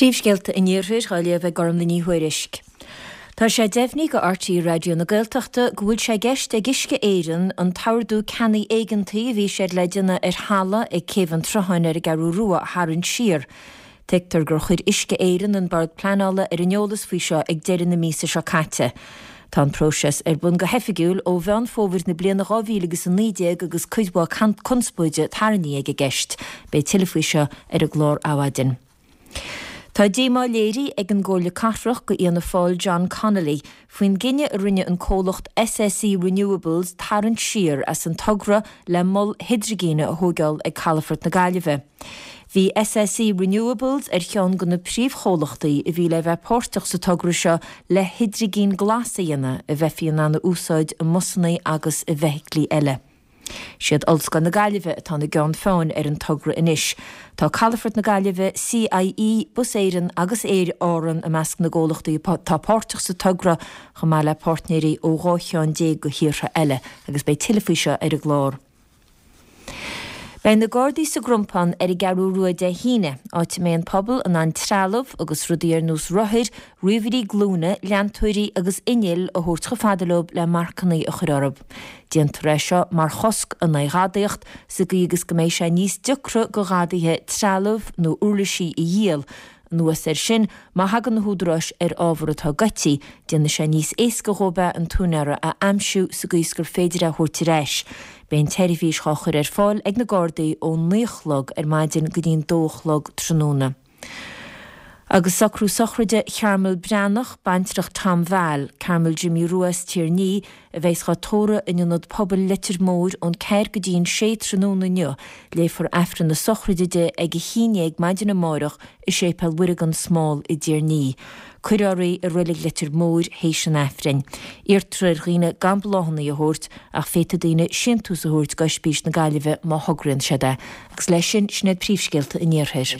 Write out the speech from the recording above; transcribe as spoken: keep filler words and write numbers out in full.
Príomhscéalta an Iarthair á léamh ag Gormlaith Ní Thuairisg. Tá sé deimhnithe do R T É Raidió na Gaeltachta go bhfuil sé i gceist ag Uisce Éireann an t-ordú ceannaigh éigeantaigh a bhí siad le déanamh ar thalamh ag Céibh an tSrutháin ar an gCeathrú Rua a tharraingt siar. Tuigtear gur chuir Uisce Éireann an Bord Pleanála ar an eolas faoi seo ag deireadh na míosa seo caite. Tá an próiseas ar bun go hoifigiúil ó Mheán Fómhair na bliana dhá mhíle agus a naoi déag agus cuid mhaith conspóide tarraingthe ag an gceist. Beidh tuilleadh faoi seo ar an gclár Adhmhaidin. Tá díomá léirithe ag an gComhairle Cathrach go Fhianna Fáil John Connolly faoin gcinneadh a rinne an comhlacht S S E Renewables tarraingt siar as an togra le mol hidrigine a thógáil ag Calafort na Gaillimhe. Bhí S S E Renewables ar cheann de na príomhchomhlachtaí a bhí le bheith páirteach sa togra seo le hidrigin glas a dhéanamh a bheifí in ann a úsáid i mbusanna agus i bhfeithiclí eile. Siad Ollscoil na Gaillimhe atá ina gceann feadhain ar an togra anois. Tá Calafort na Gaillimhe, C I E, Bus Éireann agus Aer Árann i measc na gcomhlachtaí atá páirteach sa togra, chomh maith le páirtnéirí ó dhá cheann déag de thíortha eile, agus beidh tuilleadh faoi seo ar an gclár. Beidh na Gardaí sa gCrompán ar an gCeathrú Rua Dé hAoine, áit a mbeidh an pobal in ann trealamh agus rudaí ar nós rothair, ríomhairí glúine, leantóirí agus innill a thabhairt chomh fada leo le marcanna a chur orthu. Déantar é seo mar chosc in aghaidh ghadaíocht, sa gcaoi agus go mbeidh sé níos deacra do ghadaithe trealamh nó uirlisí a dhíol. Anuas air sin, má thagann na húdaráis ar ábhar atá goidte, déanfaidh sé níos éasca dhóibh é an t-úinéara a aimsiú sa gcaoi is gur féidir é a thabhairt ar ais. Beidh an tseirbhís á chur ar fáil ag na Gardaí ó naoi a chlog ar maidin go dtí an dó a chlog tráthnóna. Agus socrú sochraide Chearmail Breathnach, baintreach Tom Val, Carmel Jimmy Rua as Tír Ní, a bheas á tórramh in ionad pobail Leitir Móir ón ceathair go dtí an sé tráthnóna inniu, léifear Aifreann na sochraide di ag a haon déag maidin amárach i Séipéal Mhuire gan Smál i dTír Ní. Cuirfear í i reilig Leitir Móir théis an Aifrinn. Iarrtar ar dhaoine gan bláthanna a thabhairt, ach féadfaidh daoine síntiús a thabhairt go Ospís na Gaillimhe má thograíonn siad é. Agus leis sin, sin iad príomhscéalta an Iarthair.